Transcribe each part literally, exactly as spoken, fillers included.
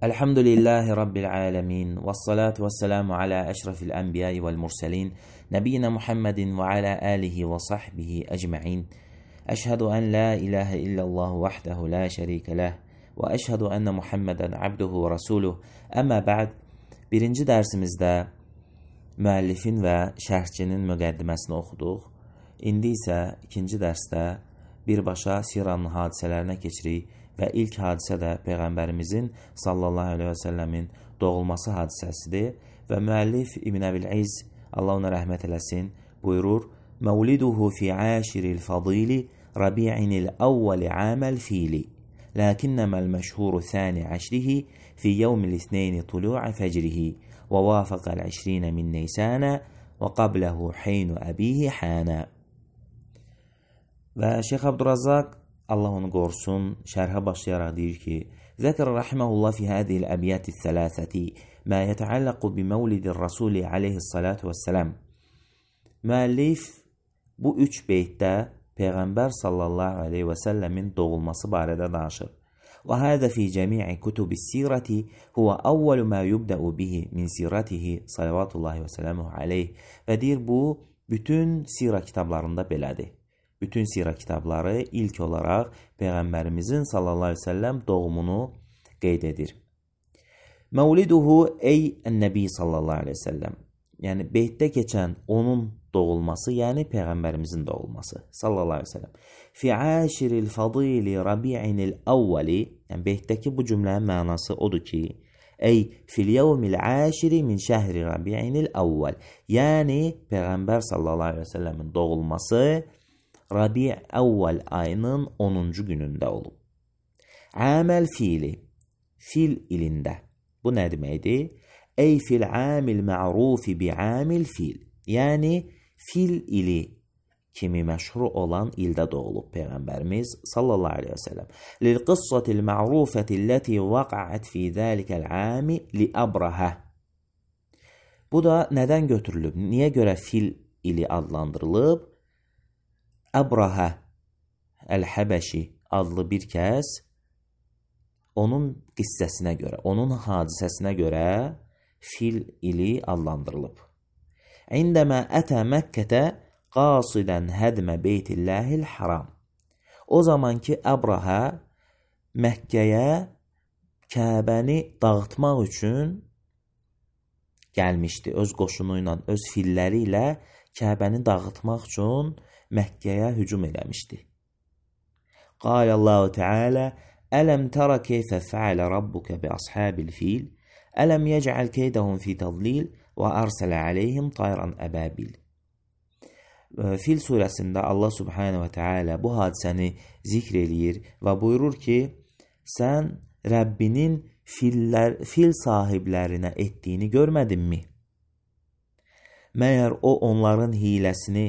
Elhamdülillahi Rabbil alemin. Vessalatu vesselamu ala eşrefil enbiyai vel murselin. Nebiyyina Muhammedin ve ala alihi ve sahbihi ecma'in. Eşhedü en la ilahe illallah vahdehu la şerike leh. Ve eşhedü enne Muhammeden abduhu ve resuluh. Amma ba'd. Birinci dersimizdə müəllifin və şərhçinin müqəddiməsini oxuduq. İndi isə ikinci dərsdə birbaşa siranın hadisələrinə keçirik və ilk hadisə də Peyğəmbərimizin sallallahu aleyhi və səlləmin doğulması hadisəsidir və müəllif İbn Əbil-İz, Allah ona rəhmət eləsin, buyurur: "Mevliduhu fi aşiril fadili Rabi'inil awwal amal fili. Lakinnama al-meşhur thani ashrihi fi yevmil ithnain tulu'a fajrihi ve vafaqal ishrin min Nisan ve qablahu hin abihi hana." Və Şeyx Abdurrazzaq, Allah onu qorusun, şərhə başlayaraq deyir ki: "Zəkər rahimehullah fi hadhihi al-abyat ath-thalathati ma yeta'allaqu bi mevlidir Rasul alayhissalatu vesselam." Müəllif bu üç beytdə Peyğəmbər sallallahu aleyhi və səlləmin doğulması barədə danışır. Və hada fi cəmi'i kutubis-sirati huwa awwalu ma yubda'u bihi min siratihi sallallahu və səllamuhu aleyh. Və deyir, bu bütün sira kitablarında belədir. Bütün sira kitabları ilk olaraq Peyğəmbərimizin sallallahu aleyhi və səlləm doğumunu qeyd edir. Mevliduhu ey ən-nəbi sallallahu aleyhi və səlləm. Yəni beytdə keçən onun doğulması, yəni Peyğəmbərimizin doğulması sallallahu aleyhi və səlləm. Fi aşiril fadili Rabi'inil awwali, yəni beytdəki bu cümlənin mənası odur ki, ey fil yevmil aşiri min şəhri Rabi'inil awwal. Yəni Peyğəmbər sallallahu aleyhi və səlləmin doğulması Rabi' awwal ayının onuncu günündə olub. Aməl fiili, fil ilində. Bu nə deməkdir? Ey fil amil ma'rufi bi amil fil. Yəni fil ili kimi məşhur olan ildə doğulub Peyğəmbərimiz sallallahu aleyhi və səlləm. Lil qıssatil ma'rufətilləti vaqa'at fi zəlikəl ami li Abraha. Bu da nədən götürülüb? Niyə görə fil ili adlandırılıb? Abraha Əl-Həbəşi adlı bir kəs onun qissəsinə görə, onun hadisəsinə görə fil ili adlandırılıb. İndəmə ətə Məkkətə qasidən hədmə beytillahil haram. O zaman ki, Abraha Məkkəyə Kəbəni dağıtmaq üçün gəlmişdi. Öz qoşunu ilə, öz filləri ilə Kəbəni dağıtmaq üçün Məkkəyə hücum eləmişdi. Qalallahu Teala: "Ələm tərə keyfə fəalə rabbuka bi ashabil fil? Ələm yec'al keydahum fi tadlil və arsələ aleyhim tayran əbabil." Fil surəsində Allah Subhanahu və Teala bu hadisəni zikr eləyir və buyurur ki, sən Rəbbinin fillər, fil sahiblərinə etdiyini görmədinmi? Məyər o onların hiləsini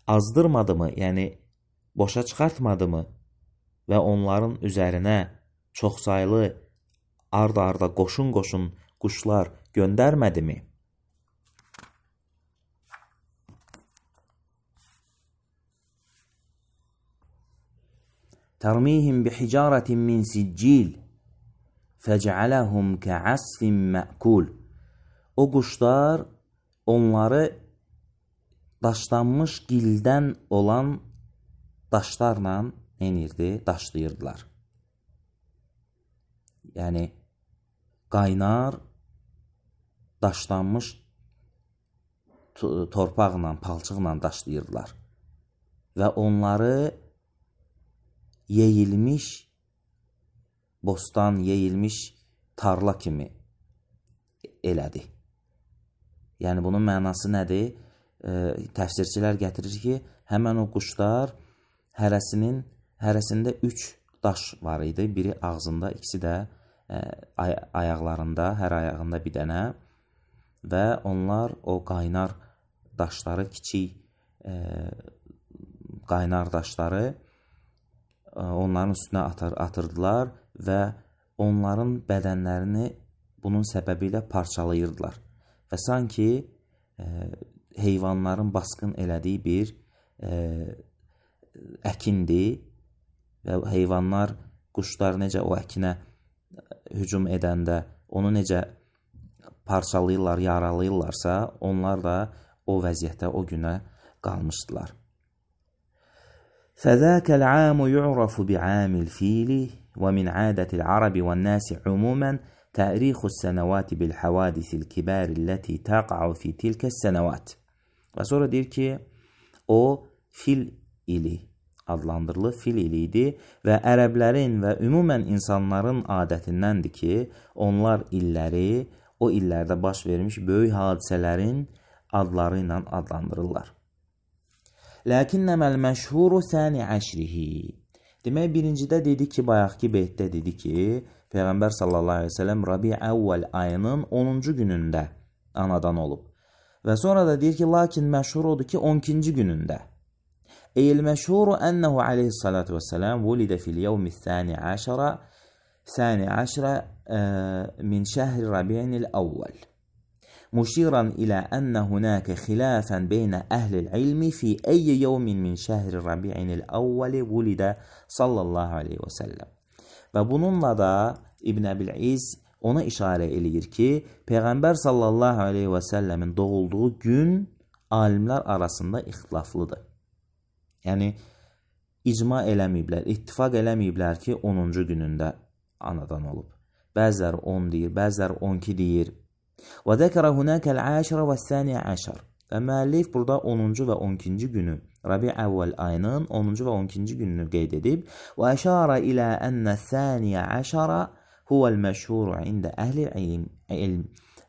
azdırmadı mı, yəni boşa çıxartmadı mı və onların üzərinə çoxsaylı ard-arda qoşun-qoşun quşlar göndərmədi mi? Tərmihim bihicaratin min siccil fəc'aləhum kə'asfin mə'kul. O quşlar onları daşlanmış gildən olan daşlarla neyirdi? Daşlayırdılar. Yəni qaynar daşlanmış torpaqla, palçıqla daşlayırdılar. Və onları yeyilmiş bostan, yeyilmiş tarla kimi elədi. Yəni bunun mənası nədir? E, təfsirçilər gətirir ki, həmən o quşlar hərəsinin, hərəsində üç daş var idi. Biri ağzında, ikisi də e, ay ayaqlarında, hər ayağında bir dənə və onlar o qaynar daşları, kiçik e, qaynar daşları e, onların üstünə atır, atırdılar və onların bədənlərini bunun səbəbi ilə parçalayırdılar. Və sanki e, heyvanların basqın elədiyi bir e, əkindir və heyvanlar, quşlar necə o əkinə hücum edəndə onu necə parçalayırlar, yaralayırlarsa, onlar da o vəziyyətdə o günə qalmışdılar. فذاك العام يعرف بعام الفيل ومن عادة العرب والناس عموما تاريخ السنوات بالحوادث الكبار التي تقع في تلك السنوات. Və sonra deyir ki, o fil ili adlandırılır, fil ili idi və ərəblərin və ümumən insanların adətindəndir ki, onlar illəri, o illərdə baş vermiş böyük hadisələrin adları ilə adlandırırlar. Lakinnəməl məşhuru thani əşrihi. Demək, birincidə dedi ki, bayaqki beytdə dedi ki, Peyğəmbər sallallahu aleyhi ve sellem Rabi əvvəl ayının onuncu günündə anadan olub. Və sonra da deyir ki, lakin məşhur odur ki, on ikinci günündə. Eyl məşhuru ənəhu aleyhissalatu vesselam vulidə fil yevmi thani əşərə thani əşrə min şəhri Rabi'nil əvvəl. مشيرا إلى أن هناك خلافا بين أهل العلم في أي يوم من شهر ربيع الأول ولد صلى الله عليه وسلم. Və bununla da İbn Əbil-İz ona işarə eləyir ki, Peyğəmbər sallallahu aleyhi və səlləmin doğulduğu gün alimlər arasında ixtilaflıdır. Yəni, icma eləməyiblər, ittifaq eləməyiblər ki, onuncu günündə anadan olub. Bəzilər on deyir, bəzilər on iki deyir. وذكر هناك العاشر والثاني عشر. Və müəllif burada onuncu və on ikinci günü, Rabi əvvəl ayının onuncu və on ikinci gününü qeyd edib. Və əşara ilə ənə thaniyə əşara huvəl məşhur ində əhli ilm.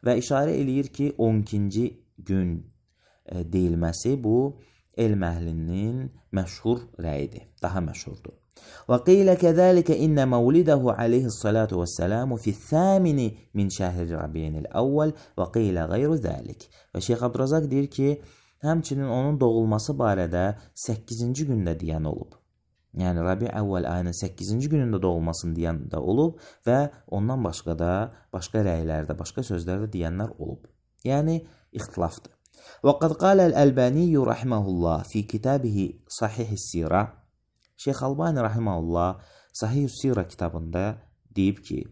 Və işarə eləyir ki, on ikinci gün deyilməsi bu, elm əhlinin məşhur rəyidir, daha məşhurdur. وقيل كذلك إن مولده عليه الصلاة والسلام في الثامن من شهر ربيع الأول وقيل غير ذلك. Və Şeyx Abdurazaq deyir ki, həmçinin onun doğulması barədə səkkizinci gündə deyən olub. Yəni Rabi əvvəl ayının səkkizinci günündə doğulmasını deyən də olub və ondan başqa da başqa rəylərdə, başqa sözlərdə deyənlər olub. Yəni ixtilafdır. وقد قال الألباني رحمه الله في كتابه صحيح السيرة. Şeyx Albani rahimehullah Sahih Sira kitabında deyib ki: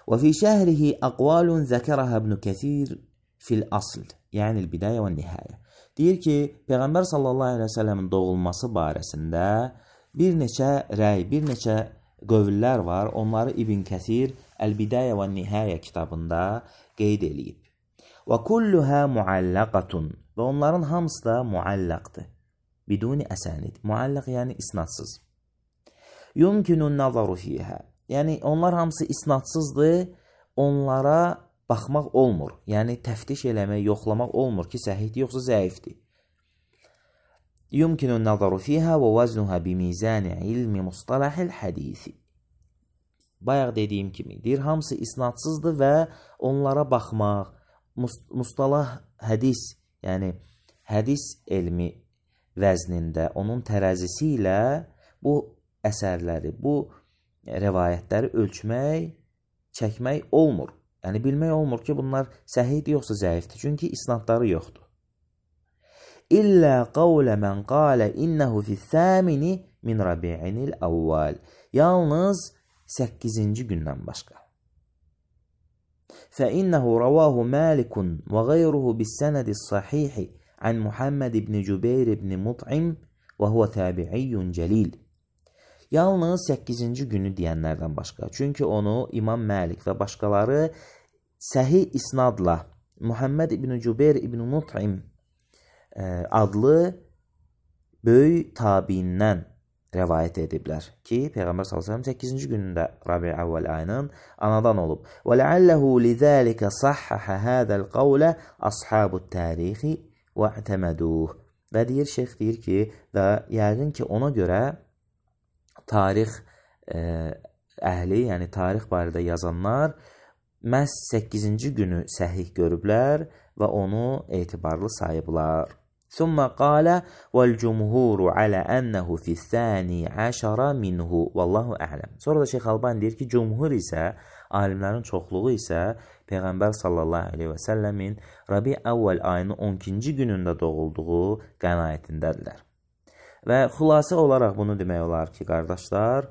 "Və fi şəhrihi aqwalun zəkərəha İbn Kəsir fil asl", yəni el-bidayə və nihayə. Deyir ki, Peyğəmbər sallallahu əleyhi və səlləmin doğulması barəsində bir neçə rəy, bir neçə qövllər var. Onları İbn Kəsir El-Bidayə və Nihayə kitabında qeyd eləyib. Və kulluha muallaqatun. Və onların hamısı da muallaqdır. Biduni əsanid. Muallaq yəni isnadsız. Yumkinun nazaru fiyha. Yəni onlar hamısı isnadsızdır. Onlara baxmaq olmur. Yəni təftiş eləmək, yoxlamaq olmur ki, səhihdir yoxsa zəifdir. Yumkinun nazaru fiyha və vaznuha bimizan ilmi mustalahil hadisi. Bayaq dediyim kimi, deyir, hamısı isnadsızdır və onlara baxmaq, mustalah hədis, yəni hədis elmi vəznində, onun tərəzisi ilə bu əsərləri, bu rəvayətləri ölçmək, çəkmək olmur. Yəni bilmək olmur ki, bunlar səhihdir yoxsa zəifdir, çünki isnadları yoxdur. İllə qavlə mən qalə innəhu fi-thəmini min Rabi'inil əvvəl. Yalnız səkkizinci gündən başqa. Fəinnəhu rəvahu Malikun və qeyruhu bis-sənədis-sahihi an Muhammed ibn Cübeyr ibn Mut'im və huvə təbi'iyyun cəlil. Yalnız səkkizinci günü deyənlərdən başqa. Çünki onu İmam Məlik və başqaları səhih isnadla Muhammed ibn Cübeyr ibn Mut'im adlı böyük tabiindən rəvayət ediblər ki, Peyğəmbər sallallahu əleyhi və səlləm səkkizinci günündə Rabi əvvəl ayının anadan olub. Və ləalləhu lizəlikə sahhəhə hədəl qavlə ashabut tarixi və ətəməduh. Və deyir, şeyx deyir ki, və yəqin ki, ona görə tarix əhli, yəni tarix barədə yazanlar məhz səkkizinci günü səhih görüblər və onu etibarlı sayıblar. ثم قال والجمهور على أنه في الثاني عشر منه والله أعلم. Sonra da Şeyx Albani deyir ki, cumhur isə, alimlərin çoxluğu isə Peyğəmbər sallallahu aleyhi və səlləmin Rabi əvvəl ayının on ikinci günündə doğulduğu qənaətindədirlər. Və xülasə olaraq bunu demək olar ki, qardaşlar,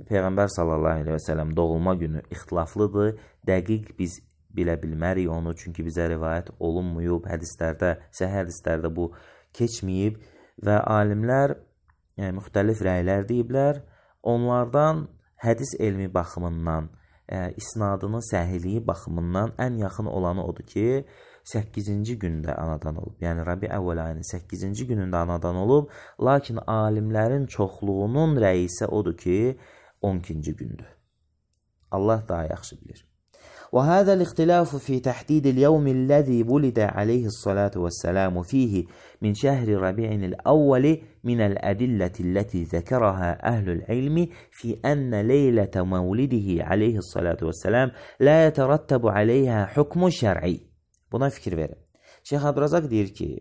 Peyğəmbər sallallahu əleyhi və səlləm doğulma günü ixtilaflıdır. Dəqiq biz bilə bilmərik onu, çünki bizə rivayət olunmayıb, hədislərdə, səhih hədislərdə bu keçməyib və alimlər yəni, müxtəlif rəylər deyiblər. Onlardan hədis elmi baxımından, ə, isnadının səhihliyi baxımından ən yaxın olanı odur ki, səkkizinci gündə anadan olub. Yəni Rabi əvvəl ayının səkkizinci günündə anadan olub, lakin alimlərin çoxluğunun rəyi isə odur ki, on ikinci gündür. Allah daha yaxşı bilir. وهذا الاختلاف في تحديد اليوم الذي ولد عليه الصلاة والسلام فيه من شهر ربيع الأول من الأدلة التي ذكرها أهل العلم في أن ليلة مولده عليه الصلاة والسلام لا يترتب عليها حكم şər'i. Buna fikir verin. Şeyx Abdrazaq deyir ki,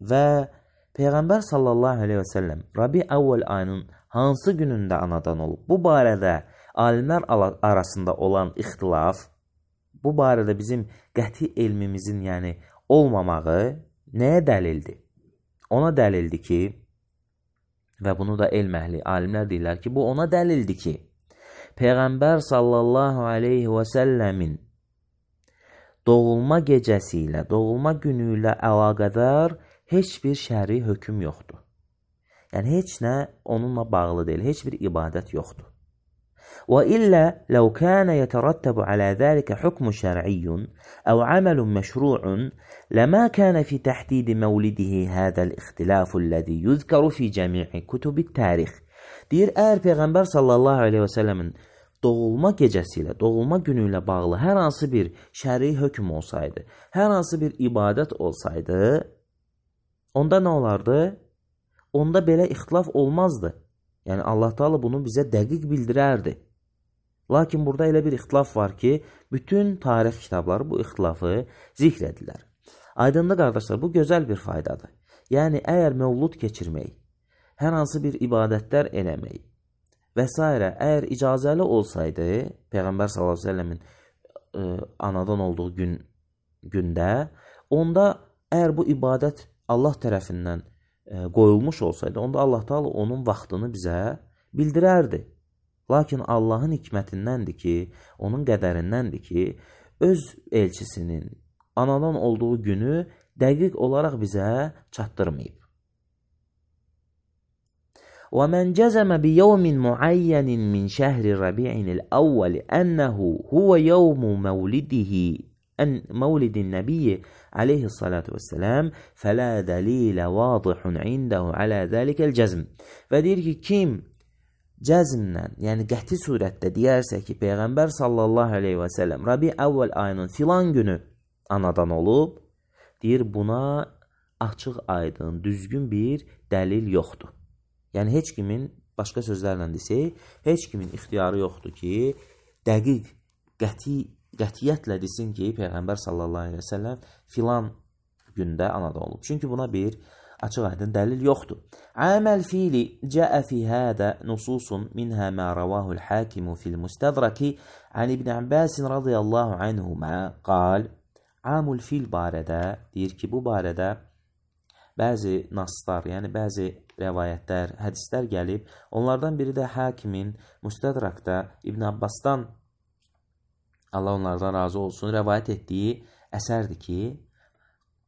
və Peyğəmbər sallallahu aleyhi və səlləm Rabi əvvəl ayının hansı günündə anadan olub? Bu barədə alimlər arasında olan ixtilaf, bu barədə bizim qəti elmimizin yəni olmamağı nəyə dəlildir? Ona dəlildir ki, və bunu da elm əhli alimlər deyirlər ki, bu ona dəlildir ki, Peyğəmbər sallallahu aleyhi və səlləmin doğulma gecəsi ilə, doğulma günü ilə əlaqədar heç bir şəri hökm yoxdur. Yəni, heç nə onunla bağlı deyil, heç bir ibadət yoxdur. وإلا لو كان يترتب على ذلك حكم شرعي أو عمل مشروع لما كان في تحديد مولده هذا الاختلاف الذي يذكر في جميع كتب التاريخ. Deyir, əgər Peyğəmbər sallallahu aleyhi və səlləmin doğulma gecəsi ilə, doğulma günü ilə bağlı hər hansı bir şəri hökm olsaydı, hər hansı bir ibadət olsaydı, onda nə olardı? Onda belə ixtilaf olmazdı. Yəni, Allah Teala bunu bizə dəqiq bildirərdi. Lakin burada elə bir ixtilaf var ki, bütün tarix kitabları bu ixtilafı zikr edirlər. Aydınlı qardaşlar, bu gözəl bir faydadır. Yəni, əgər məvlud keçirmək, hər hansı bir ibadətlər eləmək və s. əgər icazəli olsaydı, Peyğəmbər sallallahu aleyhi ve səlləmin e, anadan olduğu gün, gündə, onda əgər bu ibadət Allah tərəfindən e, qoyulmuş olsaydı, onda Allah Teala onun vaxtını bizə bildirərdi. Lakin Allahın hikmətindəndir ki, onun qədərindəndir ki, öz elçisinin anadan olduğu günü dəqiq olaraq bizə çatdırmayıb. وَمَنْ جَزَمَ بِيَوْمٍ مُعَيَّنٍ مِنْ شَهْرِ رَبِيعٍ الْأَوَّلِ أَنَّهُ هُوَ يَوْمُ مَوْلِدِهِ مولد النبي عليه الصلاة والسلام فلا دليل واضح عنده على ذلك الجزم. Və deyir ki, kim cəzmlə, yəni qəti surətdə deyərsə ki, Peyğəmbər sallallahu aleyhi və səlləm Rabi əvvəl ayının filan günü anadan olub, deyir, buna açıq aydın, düzgün bir dəlil yoxdur. Yəni, heç kimin, başqa sözlərlə desək, heç kimin ixtiyarı yoxdur ki, dəqiq, qəti, qətiyyətlə desin ki, Peyğəmbər sallallahu aleyhi və səlləm filan gündə anadan olub. Çünki buna bir açıq aydın dəlil yoxdur. Aməl fiili cəə fi hədə nususun minhə mə rəvahul hakimu fil müstədraki an İbn Abbas radiyallahu anhuma qal. Amul fil barədə deyir ki, bu barədə bəzi naslar, yəni bəzi rəvayətlər, hədislər gəlib. Onlardan biri də hakimin müstədrakda İbn Abbasdan, Allah onlardan razı olsun, rəvayət etdiyi əsərdir ki,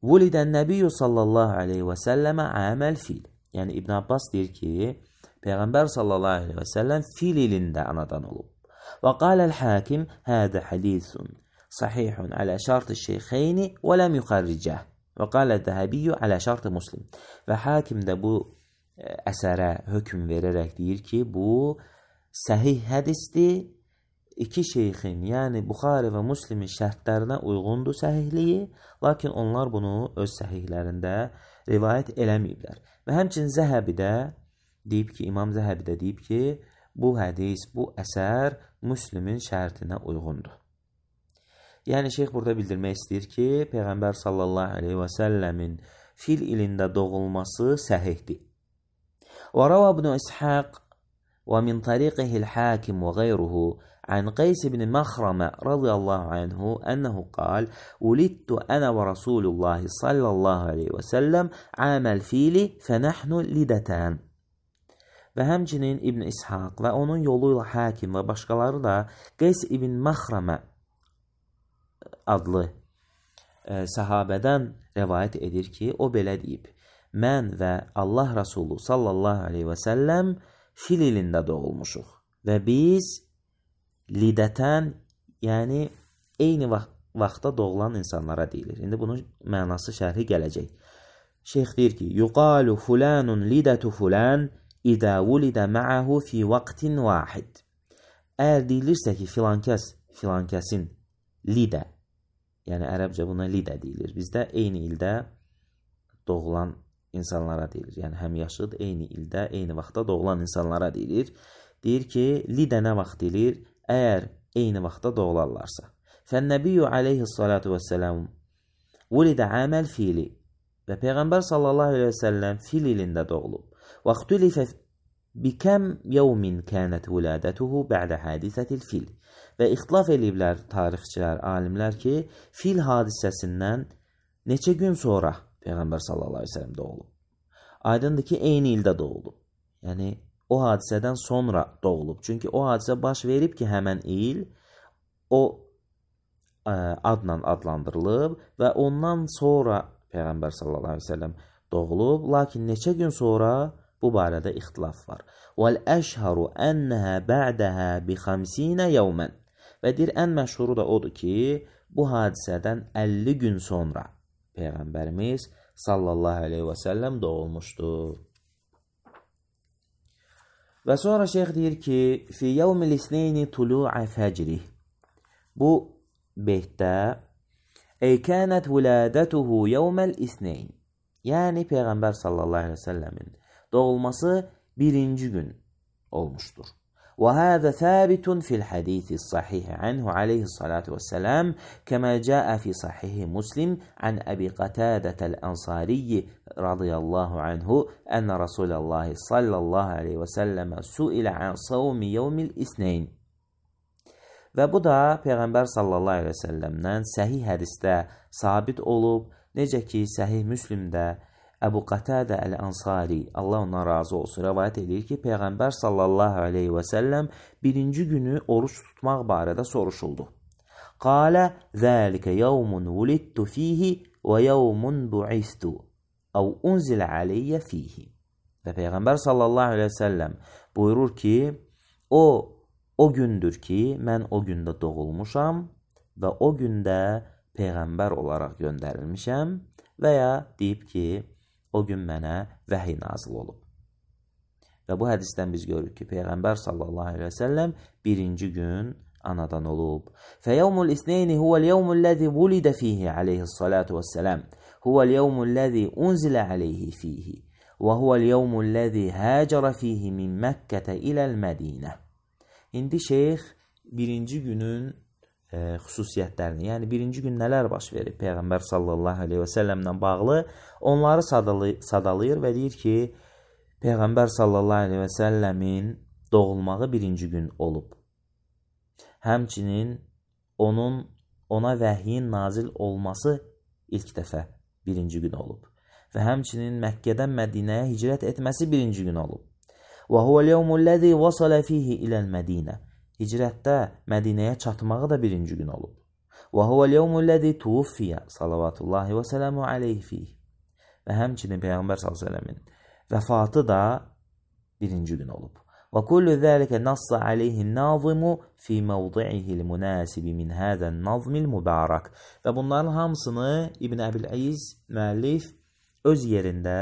Vulidən Nəbiyyü sallallahu aleyhi və səlləmə əməl fil. Yəni, İbn Abbas deyir ki, Peyğəmbər sallallahu aleyhi və səlləm fil ilində anadan olub. Və qaləl hakim, hədə hədisun sahihun alə şart-ı şeyxeyni və ləm yuxarricəh. Və qalə Zəhəbiyyü alə şart-ı muslim. Və hakim də bu əsərə hökm verərək deyir ki, bu səhih hədisdir. İki şeyxin, yəni Buxari və Müslimin şərtlərinə uyğundur səhihliyi, lakin onlar bunu öz səhihlərində rivayət eləməyiblər. Və həmçinin Zəhəbi də deyib ki, İmam Zəhəbi də deyib ki, bu hədis, bu əsər Müslimin şərtinə uyğundur. Yəni, şeyx burada bildirmək istəyir ki, Peyğəmbər sallallahu aleyhi və səlləmin fil ilində doğulması səhihdir. Və rəvə ibn İshaq və min tariqihi l-hakim və qeyruhu عن قيس بن مخرمة رضي الله عنه أنه قال ولدت أنا ورسول الله صلى الله عليه وسلم عام الفيل فنحن لدتان. və həmçinin İbn İshaq və onun yolu ilə Hakim və başqaları da Qeys ibn Məxrəmə adlı ə, səhabədən rəvayət edir ki, o belə deyib: mən və Allah Rasulü sallallahu aleyhi və səlləm fil ilində doğulmuşuq və biz lidətən, yəni eyni vaxt vaxtda doğulan insanlara deyilir. İndi bunun mənası şərhi gələcək. Şeyx deyir ki, yuqalu fulanun lidətu fulan idə vulidə ma'ahu fi vaqtin vahid. Əgər deyilirsə ki, filankəs, filankəsin lidə, yəni ərəbcə buna lidə deyilir. Bizdə eyni ildə doğulan insanlara deyilir. Yəni həm yaşıd, eyni ildə, eyni vaxtda doğulan insanlara deyilir. Deyir ki, lidə nə vaxt deyilir? Əgər eyni vaxtda doğularlarsa. Fənnəbiyyü aleyhissalatu vəssəlam vulidə əməl fili və Peyğəmbər sallallahu aleyhi və səlləm fil ilində doğulub. Və xtülifə bikəm yevmin kənət vulədətuhu bə'də hadisətil fil. Və ixtilaf eləyiblər tarixçilər, alimlər ki, fil hadisəsindən neçə gün sonra Peyğəmbər sallallahu aleyhi və səlləm doğulub. Aydındır ki, eyni ildə doğulub. Yəni, o hadisədən sonra doğulub. Çünki o hadisə baş verib ki, həmən il o ə, adla adlandırılıb və ondan sonra Peyğəmbər sallallahu aleyhi və səlləm doğulub. Lakin neçə gün sonra bu barədə ixtilaf var. وَالْأَشْهَرُ أَنَّهَا بَعْدَهَا بِخَمْسِينَ يَوْمًا. Və deyir, ən məşhuru da odur ki, bu hadisədən əlli gün sonra Peyğəmbərimiz sallallahu aleyhi və səlləm doğulmuşdur. Və sonra şeyx deyir ki, fi yevmil isneyni tulu'a fəcrih. Bu beytdə ey kənət vulədətuhu yevməl isneyn. Yəni Peyğəmbər sallallahu aleyhi və səlləmin doğulması birinci gün olmuşdur. Və həzə thəbitun fil hədisi sahihi anhu aleyhissalatu vesselam kəmə cəə fi sahihi Muslim an Əbi Qatədətəl Ənsariyyi radiyallahu anhu ənə Rasuləllahi sallallahu aleyhi və səlləmə suilə an savmi yevmil isneyn. Və bu da Peyğəmbər sallallahu aleyhi və səlləmdən səhih hədisdə sabit olub, necə ki səhih Müslimdə Əbu Qatadə Əl-Ənsari, Allah ondan razı olsun, rəvayət edir ki, Peyğəmbər sallallahu aleyhi və səlləm birinci günü oruç tutmaq barədə soruşuldu. Qalə, zəlikə yevmun vulidtu fihi və yevmun bu'istu, əv unzilə aleyyə fihi. Və Peyğəmbər sallallahu aleyhi və səlləm buyurur ki, o, o gündür ki, mən o gündə doğulmuşam və o gündə Peyğəmbər olaraq göndərilmişəm və ya deyib ki, o gün mənə vəhiy nazil olub. Və bu hədisdən biz görürük ki, Peyğəmbər sallallahu aleyhi və səlləm birinci gün anadan olub. Fəyevmul isneyni huvəl yevmul ləzi vulidə fihi aleyhissalatu vəssələm. Huvəl yevmul ləzi unzilə aleyhi fihi. Və huvəl yevmul ləzi həcərə fihi min Məkkətə iləl Mədinə. İndi şeyx birinci günün E, xüsusiyyətlərini, yəni birinci gün nələr baş verib Peyğəmbər sallallahu aleyhi və səlləmlə bağlı onları sadalayır və deyir ki, Peyğəmbər sallallahu aleyhi və səlləmin doğulmağı birinci gün olub. Həmçinin onun ona vəhyin nazil olması ilk dəfə birinci gün olub. Və həmçinin Məkkədən Mədinəyə hicrət etməsi birinci gün olub. Və huvəl yevmul ləzi vasala fihi iləl Mədinə. Hicrətdə Mədinəyə çatmağı da birinci gün olub. Və huvəl yevmul ləzi tuvuffiyə salavatullahi və sələmu aleyhi fiyh. Və həmçinin Peyğəmbər sallallahu aleyhi və səlləmin vəfatı da birinci gün olub. Və kullu zəlikə nassa aleyhi nazimu fi mevdi'ihil münasibi min həzən nazmil mübarək. Və bunların hamısını İbn Əbil-İz müəllif öz yerində,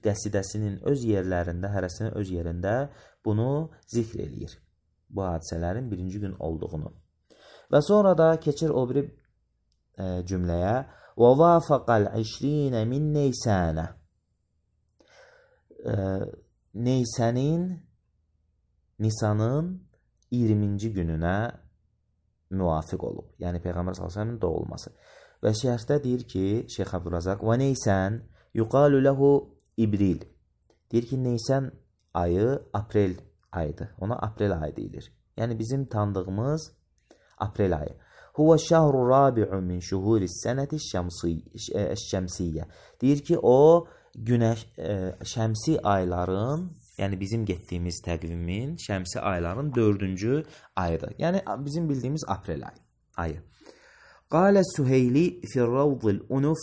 qəsidəsinin öz yerlərində, hərəsinin öz yerində bunu zikr eləyir. Bu hadisələrin birinci gün olduğunu. Və sonra da keçir o biri e, cümləyə وَوَافَقَ الْعِشْرِينَ مِنْ نَيْسَانَ. e, Neysənin, Nisanın iyirminci gününə müvafiq olub. Yəni Peyğəmbər sallallahu əleyhi və səlləmin doğulması. Və şərhdə deyir ki, Şeyx Abdurrazaq və Neysən yuqalu lehu İbril. Deyir ki, Neysən ayı aprel ayıdır. Ona aprel ayı deyilir. Yəni bizim tanıdığımız aprel ayı. Huwa şəhru rabi'u min şuhuris sənəti şəmsiyyə. Deyir ki, o günəş, e, şəmsi ayların, Yəni bizim getdiyimiz təqvimin şəmsi ayların dördüncü ayıdır. Yəni bizim bildiyimiz aprel ayı. ayı. Qalə Süheyli fi-r-rawd al-unuf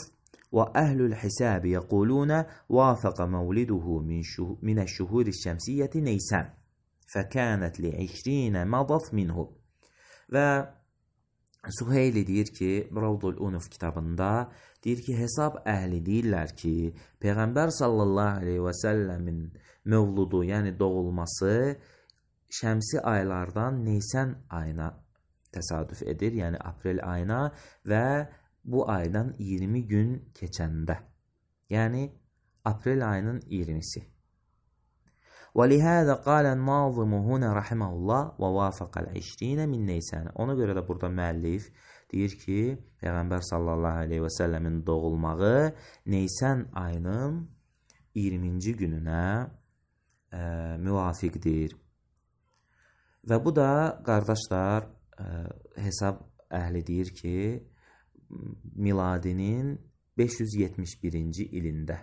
və əhlul hisab yəquluna vafaqa mavliduhu min əş-şuhur əş-şəmsiyyəti Neysan fəkânət li iyirmi madat minhu. Və Süheyli deyir ki, Ravdul Unuf kitabında deyir ki, hesab əhli deyirlər ki, Peyğəmbər sallallahu aleyhi və səlləmin mövludu, yəni doğulması şəmsi aylardan Neysan ayına təsadüf edir, yəni aprel ayına və bu aydan iyirmi gün keçəndə, yəni aprel ayının iyirmisi. وَلِهَذَا قَالَ النَّاظِمُ هُنَا رَحِمَهُ اللّٰهِ وَوَافَقَ الْعِشْرِينَ مِنْ Neysan. Ona görə də burada müəllif deyir ki, Peyğəmbər sallallahu aleyhi və səlləmin doğulmağı Neysan ayının iyirminci gününə e, müvafiqdir. Və bu da, qardaşlar, e, hesab əhli deyir ki, miladinin beş yüz yetmiş birinci ilində.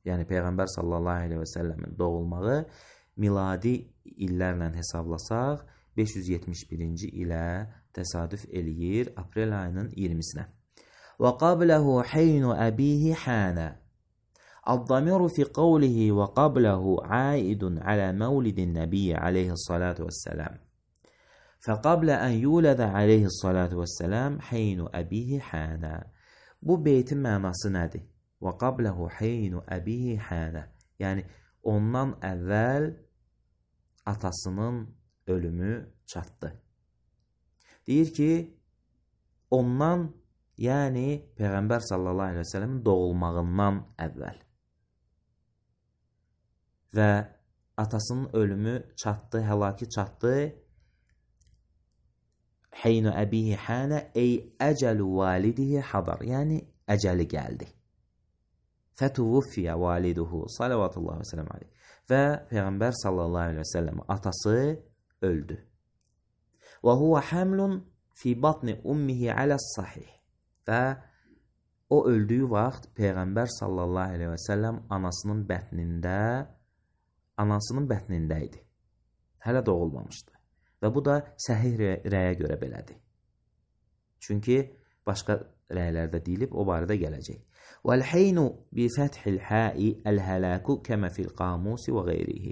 Yəni Peyğəmbər sallallahu aleyhi və səlləmin doğulmağı miladi illərlə hesablasaq beş yüz yetmiş birinci ilə təsadüf eləyir aprel ayının iyirmisinə. Və qabləhu heynu əbihi hənə. Ad-damiru fi qavlihi və qabləhu aidun alə məvlidin nəbiyyə aleyhissalatu vəssələm. Fəqablə ən yulədə aleyhissalatu vəssələm heynu əbihi hənə. Bu beytin mənası nədir? Və qabləhu heynu əbihi hənə. Yəni, ondan əvvəl atasının ölümü çatdı. Deyir ki, ondan, yəni Peyğəmbər sallallahu aleyhi və səlləmin doğulmağından əvvəl. Və atasının ölümü çatdı, həlaki çatdı. Heynu əbihi hənə, ey əcəlu validihi hadar. Yəni, əcəli gəldi. Fətuvuffiyə validuhu salavatullah və sələm aleyh. Və Peyğəmbər sallallahu aleyhi və səlləm atası öldü. Və huvə həmlun fi batni ummihi aləs sahih. Və o öldüyü vaxt Peyğəmbər sallallahu aleyhi və səlləm anasının bətnində anasının bətnində idi. Hələ doğulmamışdı. Və bu da səhih rəyə görə belədir. Çünki başqa rəylərdə deyilib, o barədə gələcək. وَالْحَيْنُ بِفَتْحِ الْحَاءِ الْهَلَاكُ كَمَا فِي الْقَامُوسِ وَغَيْرِهِ.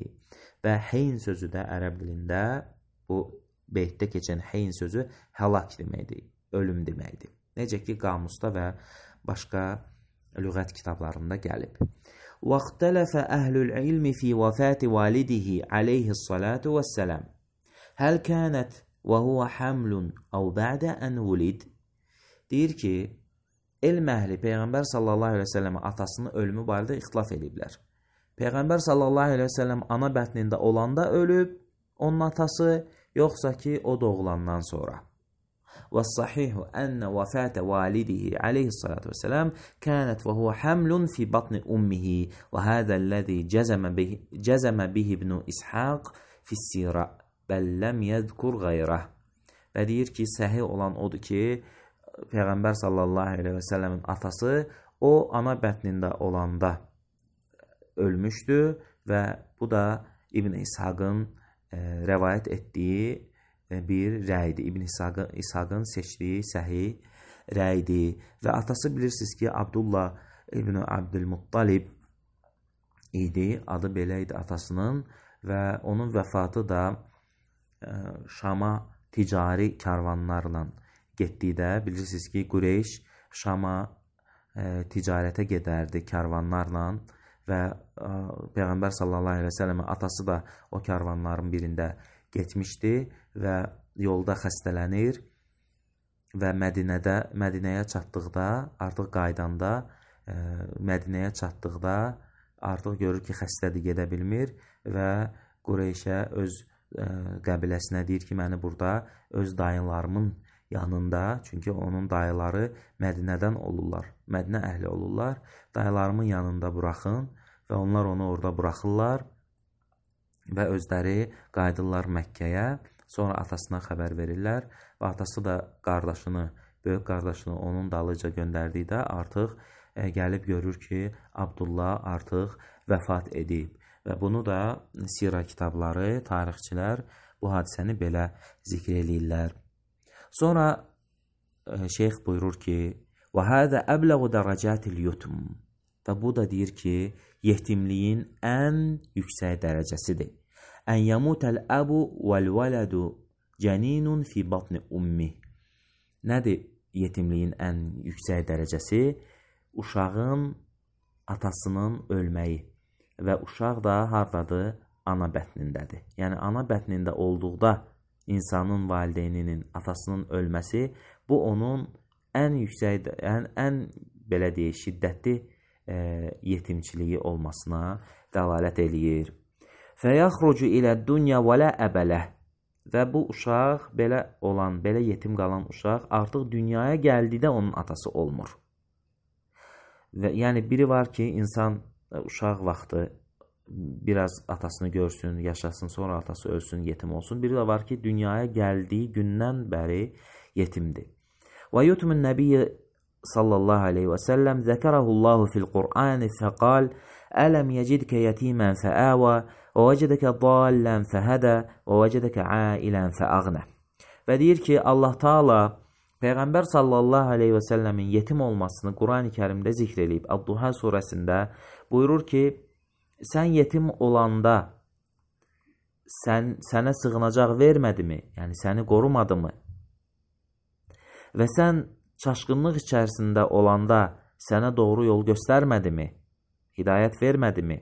Və heyn sözü də ərəb dilində, bu beytdə keçən heyn sözü həlak deməkdir, ölüm deməkdir. Necə ki, qamusda və başqa lüğət kitablarında gəlib. وَاخْتَلَفَ أَهْلُ الْعِلْمِ فِي وَفَاتِ وَالِدِهِ عَلَيْهِ الصَّلَاةُ وَالسَّلَامُ. هَلْ كَانَتْ وَهُوَ حَمْلٌ أَوْ بَعْدَ أَنْ وُلِدْ. Deyir ki, elm əhli Peyğəmbər sallallahu aleyhi və səlləmə atasının ölümü barədə ixtilaf ediblər. Peyğəmbər sallallahu aleyhi və səlləm ana bətnində olanda ölüb, onun atası, yoxsa ki, o doğulandan sonra. وَالصَّحِيحُ أَنَّ وَفَاتَ وَالِدِهِ عَلَيْهِ الصَّلَاةُ وَالسَّلَامُ كَانَتْ وَهُوَ حَمْلٌ فِي بَطْنِ أُمِّهِ وَهَذَا الَّذِي جَزَمَ بِهِ, جزم به ابن إسحاق في السيرة بل لم يذكر غيره. Və deyir ki, səhih olan odur ki, Peyğəmbər sallallahu aleyhi və səlləmin atası o ana bətnində olanda ölmüşdü və bu da İbn İshaqın e, rəvayət etdiyi e, bir rəydir. İbn İshaqın, İshaqın seçdiyi səhih rəydir. Və atası bilirsiniz ki, Abdullah İbn Abdülmuttalib idi, adı belə idi atasının və onun vəfatı da e, Şama ticari karvanlarla getdikdə, bilirsiniz ki, Qureyş Şama e, ticarətə gedərdi karvanlarla və e, Peyğəmbər sallallahu aleyhi və səlləmin atası da o karvanların birində getmişdi və yolda xəstələnir və Mədinədə, Mədinəyə çatdıqda, artıq qaydanda, e, Mədinəyə çatdıqda artıq görür ki, xəstədir, gedə bilmir və Qureyşə öz e, qəbiləsinə deyir ki, məni burada öz dayılarımın yanında, çünki onun dayıları Mədinədən olurlar, Mədinə əhli olurlar, dayılarımın yanında buraxın və onlar onu orada buraxırlar və özləri qayıdırlar Məkkəyə, sonra atasına xəbər verirlər və atası da qardaşını, böyük qardaşını onun dalıca göndərdikdə artıq e, gəlib görür ki, Abdullah artıq vəfat edib Və bunu da sira kitabları, tarixçilər bu hadisəni belə zikr eləyirlər. Sonra e, şeyx buyurur ki, və hədə əbləğu dərəcətil yutum. Və bu da deyir ki, yetimliyin ən yüksək dərəcəsidir. Ən yamutəl əbu vəl-vələdu cəninun fi batni ummi. Nədir yetimliyin ən yüksək dərəcəsi? Uşağın atasının ölməyi və uşaq da hardadır? Ana bətnindədir. Yəni ana bətnində olduqda insanın valideyninin, atasının ölməsi, bu onun ən yüksək, ən, ən belə deyək, şiddətli e, yetimçiliyi olmasına dəlalət eləyir. Fəyəxrucu ilə dünya və lə əbələ. Və bu uşaq, belə olan, belə yetim qalan uşaq artıq dünyaya gəldikdə onun atası olmur. Və yəni biri var ki, insan uşaq vaxtı biraz atasını görsün, yaşasın, sonra atası ölsün, yetim olsun. Biri də var ki, dünyaya gəldiyi gündən bəri yetimdir. Və yutumun nəbiyyə sallallahu aleyhi və səlləm zəkərəhullahu fil Qur'ani fəqal ələm yecidkə yetimən fəəvə və vəcədəkə dallən fəhədə və vəcədəkə ailən fəəğnə. Və deyir ki, Allah Taala Peyğəmbər sallallahu aleyhi və səlləmin yetim olmasını Qur'an-ı Kərimdə zikr edib. Əd-Duha surəsində buyurur ki, sən yetim olanda sən, sənə sığınacaq vermədimi? Yəni səni qorumadımı? Və sən çaşqınlıq içərisində olanda sənə doğru yol göstərmədimi? Hidayət vermədimi?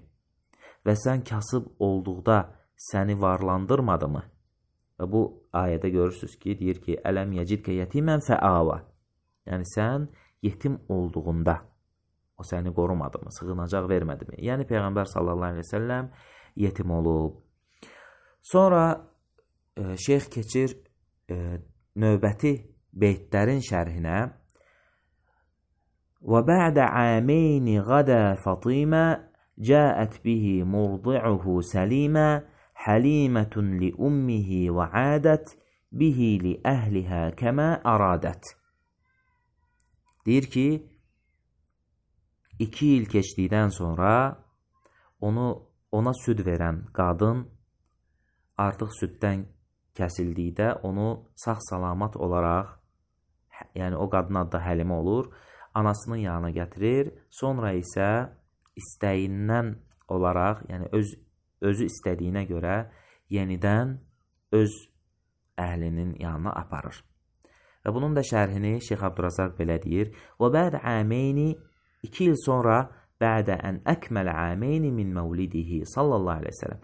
Və sən kasıb olduqda səni varlandırmadımı? Və bu ayədə görürsünüz ki, deyir ki, ələm yecidkə yetimən fəava. Yəni sən yetim olduğunda o səni qorumadımı, sığınacaq vermədimi? Yəni Peyğəmbər sallallahu aleyhi ve səlləm yetim olub. Sonra e, şeyx keçir e, növbəti beytlərin şərhinə. Və bə'də əmeyni qədə Fatimə cəət bihi murdi'uhu səlimə həlimətun li ummihi və ədət bihi li əhlihə kəmə əradət. Deyir ki, iki il keçdikdən sonra onu ona süd verən qadın artıq süddən kəsildikdə onu sağ-salamat olaraq, yəni o qadın adı da Həlimə olur, anasının yanına gətirir, sonra isə istəyindən olaraq, yəni öz özü istədiyinə görə yenidən öz əhlinin yanına aparır. Və bunun da şərhini Şeyx Abdurazaq belə deyir. Və bə'də əmeyni, iki il sonra bə'də ən əkməl əmeyni min məvlidihi sallallahu aleyhi ve sellem.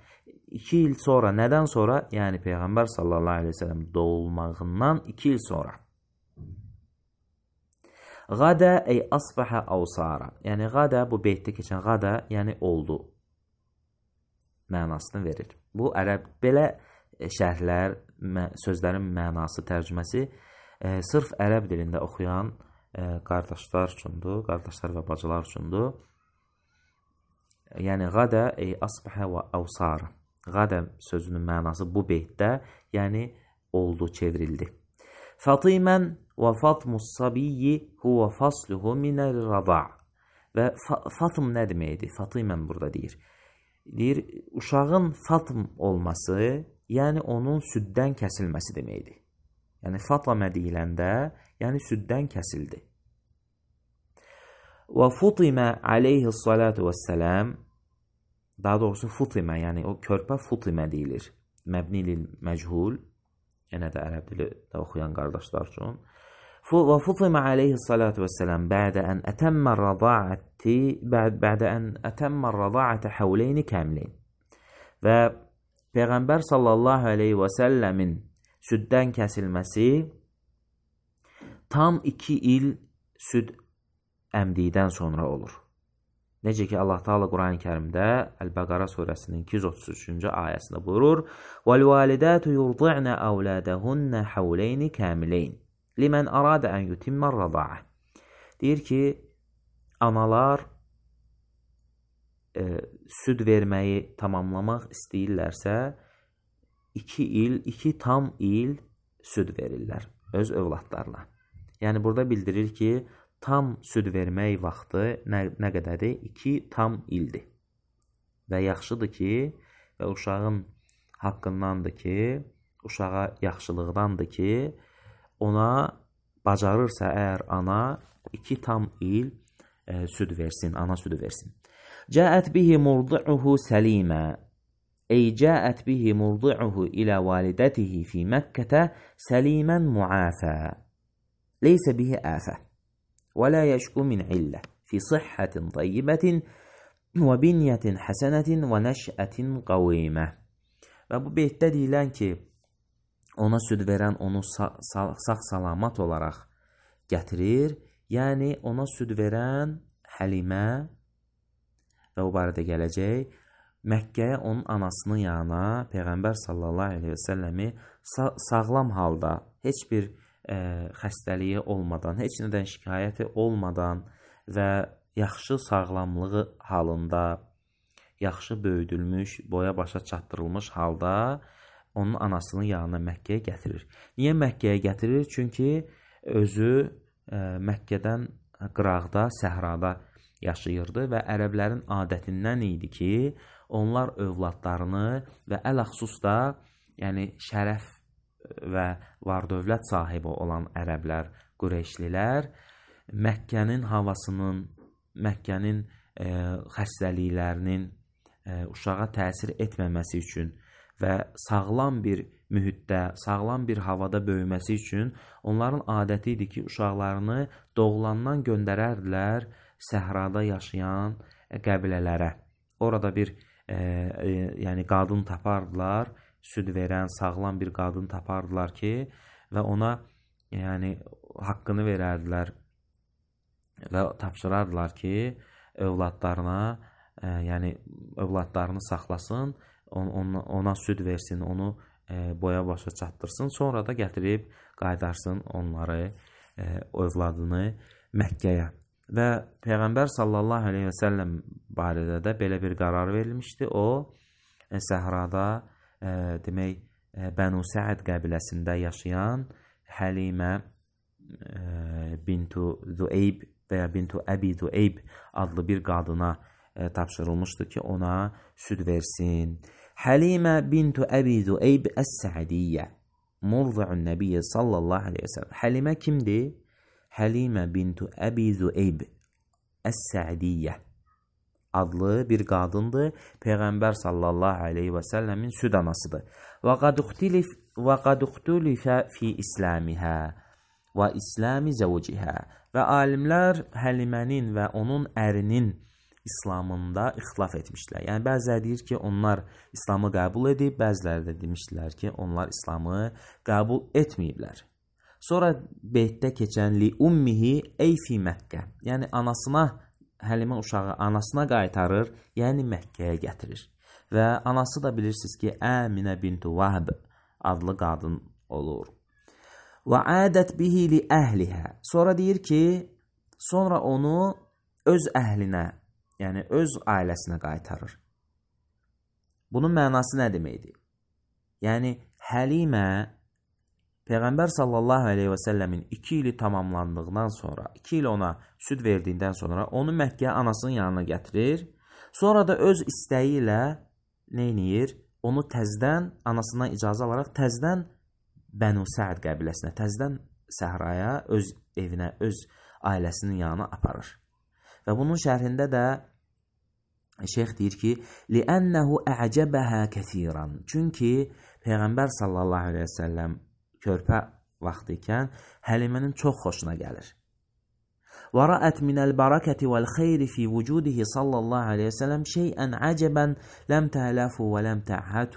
İki il sonra, nədən sonra? Yəni Peyğəmbər sallallahu aleyhi ve sellem doğulmağından iki il sonra. Qadə ey asbəhə avsara. Yəni qadə, bu beytdə keçən qadə, yəni oldu mənasını verir. Bu ərəb, belə şərhlər, sözlərin mənası, tərcüməsi e, sırf ərəb dilində oxuyan e, qardaşlar üçündür, qardaşlar və bacılar üçündür. Yəni qadə ey asbəhə və avsara. Qadə sözünün mənası bu beytdə, yəni oldu, çevrildi. Fatimən və fatmus sabiyyi huvə fasluhu minəl rada'. Və fa Fatım nə deməkdir? Fatimən burada deyir. Deyir, uşağın Fatım olması, yəni onun süddən kəsilməsi deməkdir. Yəni Fatımə deyiləndə, yəni süddən kəsildi. Və Futimə aleyhissalatu vesselam, daha doğrusu Futimə, yəni o körpə Futimə deyilir. Məbnilil məchul, yenə də ərəb dili də oxuyan qardaşlar üçün. Və Futimə aleyhissalatu vesselam bə'də ən ətəmmə rəda'əti bə'də ən ətəmmə rəda'ətə həvleyni kəmleyn. Və Peyğəmbər sallallahu aleyhi və səlləmin süddən kəsilməsi tam iki il süd əmdikdən sonra olur. Necə ki, Allah Taala Quran-ı Kərimdə Əl-Bəqara surəsinin iki yüz otuz üçüncü ayəsində buyurur: "Vəl-validatu yurdi'na awladahunna hawlayni kamilayn limen arada an yutimma ar-rada'a." Deyir ki, analar e, süd verməyi tamamlamaq istəyirlərsə, iki il, iki tam il süd verirlər öz övladlarına. Yəni burada bildirir ki, tam süd vermək vaxtı nə, nə qədərdir? İki tam ildir. Və yaxşıdır ki, və uşağın haqqındandır ki, uşağa yaxşılıqdandır ki, ona bacarırsa əgər ana iki tam il e, süd versin, ana südü versin. Cəət bihi murdi'uhu səlimə. Ey cəət bihi murdi'uhu ilə validətihi fi Məkkətə səlimən muafə. Leysə bihi əfə. Və la yəşku min illə. Fi sıhhatin tayyibətin və binyətin həsənətin və nəşətin qavimə. Və bu beytdə deyilən ki, ona süd verən onu sağ-salamat olaraq gətirir. Yəni, ona süd verən Həlimə və o barədə gələcək, Məkkəyə onun anasının yanına Peyğəmbər sallallahu aleyhi və səlləmi sağ sağlam halda, heç bir e, xəstəliyi olmadan, heç nədən şikayəti olmadan və yaxşı sağlamlığı halında, yaxşı böyüdülmüş, boya başa çatdırılmış halda onun anasının yanına Məkkəyə gətirir. Niyə Məkkəyə gətirir? Çünki özü e, Məkkədən qıraqda, səhrada yaşayırdı və ərəblərin adətindən idi ki, onlar övladlarını və ələxsus da, yəni şərəf və var-dövlət sahibi olan ərəblər, Qureyşlilər, Məkkənin havasının, Məkkənin e, xəstəliklərinin e, uşağa təsir etməməsi üçün və sağlam bir mühitdə, sağlam bir havada böyüməsi üçün onların adəti idi ki, uşaqlarını doğulandan göndərərdilər səhrada yaşayan qəbilələrə. Orada bir e, e, yəni qadın tapardılar, süd verən sağlam bir qadın tapardılar ki, və ona yəni haqqını verərdilər və tapşırardılar ki, övladlarına, e, yəni övladlarını saxlasın, on, on, ona süd versin, onu e, boya başa çatdırsın, sonra da gətirib qaydarsın onları, e, övladını Məkkəyə. Və Peyğəmbər sallallahu aleyhi və səlləm barədə də belə bir qərar verilmişdi. O, e, səhrada, e, demək, e, Bənu Səəd qəbiləsində yaşayan Həlimə e, bintu Züeyb və ya bintu Əbi Züeyb adlı bir qadına e, tapşırılmışdı ki, ona süd versin. Həlimə bintu Əbi Züeyb Əs-Səədiyyə murdi'un Nəbiyyə sallallahu aleyhi və səlləm. Həlimə kimdir? Həlimə bintu Əbi Züeyb Əs-Səədiyyə adlı bir qadındır. Peyğəmbər sallallahu aleyhi və səlləmin süd anasıdır. Və qad uxtulifə fi İslamihə və İslami zəvcihə. Və alimlər Həlimənin və onun ərinin İslamında ixtilaf etmişlər. Yəni, bəziləri deyir ki, onlar İslamı qəbul edib, bəziləri də demişdilər ki, onlar İslamı qəbul etməyiblər. Sonra beytdə keçən li ummihi ey fi Məkkə. Yəni, anasına, Həlimə uşağı anasına qaytarır, yəni Məkkəyə gətirir. Və anası da bilirsiniz ki, Əminə bintu Vahb adlı qadın olur. Və ədət bihi li əhlihə. Sonra deyir ki, sonra onu öz əhlinə, yəni öz ailəsinə qaytarır. Bunun mənası nə deməkdir? Yəni, Həlimə Peyğəmbər sallallahu aleyhi və səlləmin iki ili tamamlandığından sonra, iki il ona süd verdiyindən sonra onu Məkkəyə anasının yanına gətirir. Sonra da öz istəyi ilə neyniyir? Onu təzdən, anasından icazə alaraq təzdən Bənu Səəd qəbiləsinə, təzdən səhraya, öz evinə, öz ailəsinin yanına aparır. Və bunun şərhində də şeyx deyir ki, لِأَنَّهُ أَعْجَبَهَا كَثِيرًا. Çünki Peyğəmbər sallallahu aleyhi və səlləm körpə vaxtı ikən Həlimənin çox xoşuna gəlir. وَرَأَتْ مِنَ الْبَرَكَةِ وَالْخَيْرِ فِي وُجُودِهِ sallallahu aleyhi və səlləm şeyən عَجَبًا لَمْ تَعْلَفُ وَلَمْ تَعْهَتُ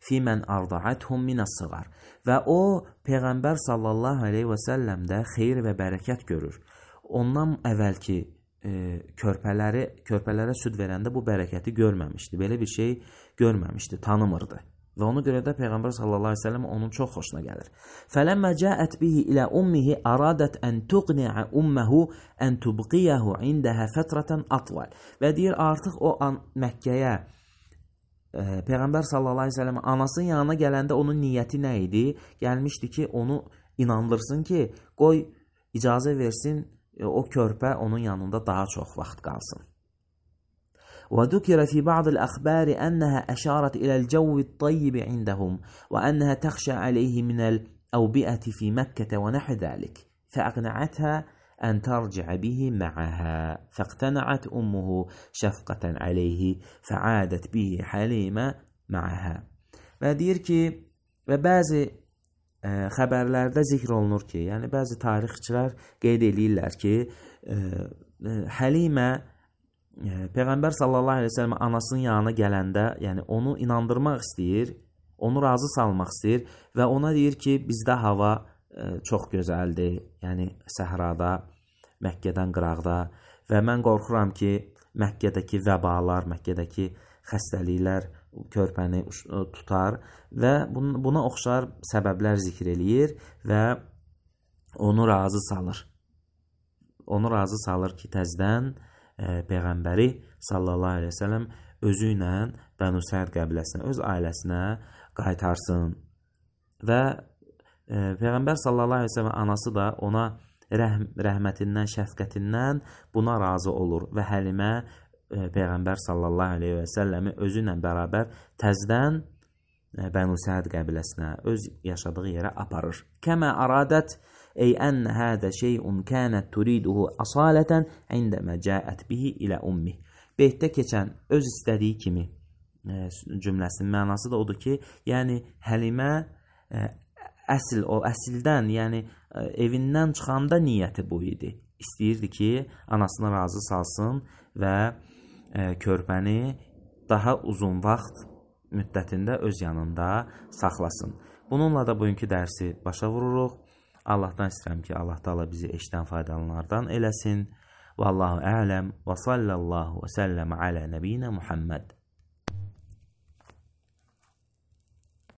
فِي مَنْ أَرْضَعَتْهُمْ مِنَ الصِّغَرِ. Və o, Peyğəmbər sallallahu aleyhi və səlləmdə xeyir və bərəkət görür. Ondan əvvəlki e, körpələri, körpələrə süd verəndə bu bərəkəti görməmişdi. Belə bir şey görməmişdi, tanımırdı. Və ona görə də Peyğəmbər sallallahu aleyhi ve sellem onun çox xoşuna gəlir. Fələmmə cəət bihi ilə ummihi aradət ən tuqniə umməhu ən tubqiyəhu indəhə fətrətən atval. Və deyir, artıq o an Məkkəyə e, Peyğəmbər sallallahu aleyhi ve sellem anasının yanına gələndə onun niyyəti nə idi? Gəlmişdi ki, onu inandırsın ki, qoy icazə versin, e, o körpə onun yanında daha çox vaxt qalsın. وذكر في بعض الأخبار أنها أشارت إلى الجو الطيب عندهم وأنها تخشى عليه من الأوبئة في مكة ونحو ذلك، فأقنعتها أن ترجع به معها، فاقتنعت أمه شفقة عليه فعادت به حليمة معها. Və deyir ki, və bəzi ə, xəbərlərdə zikr olunur ki, yəni bəzi tarixçilər qeyd edirlər ki, ə, ə, Həlimə ə, Peyğəmbər sallallahu əleyhi və səlləm anasının yanına gələndə, yəni onu inandırmaq istəyir, onu razı salmaq istəyir və ona deyir ki, bizdə hava ə, çox gözəldir, yəni səhrada, Məkkədən qıraqda və mən qorxuram ki, Məkkədəki vəbalar, Məkkədəki xəstəliklər körpəni tutar və buna oxşar səbəblər zikr eləyir və onu razı salır. Onu razı salır ki, təzdən e, Peyğəmbəri sallallahu əleyhi və səlləm özü ilə Bənu Səd qəbiləsinə, öz ailəsinə qaytarsın. Və e, Peyğəmbər sallallahu əleyhi və səlləm anası da ona rəhm, rəhmətindən, şəfqətindən buna razı olur və Həlimə Peyğəmbər sallallahu əleyhi və səlləmi özü ilə bərabər təzdən Bənu Səd qəbiləsinə, öz yaşadığı yerə aparır. Kəmə aradət ey ənə hədə şeyun kənət turiduhu asalətən indəmə cəət bihi ilə ummi. Beytdə keçən öz istədiyi kimi cümləsinin mənası da odur ki, yəni Həlimə əsl, o əsildən, yəni evindən çıxanda niyyəti bu idi. İstəyirdi ki, anasını razı salsın və körpəni daha uzun vaxt müddətində öz yanında saxlasın. Bununla da bugünkü dərsi başa vururuq. Allahdan istəyirəm ki, Allah Taala bizi eşidən faydalananlardan eləsin. Vallahu a'lem və sallallahu və səlləm alə nəbiyinə Muhammed.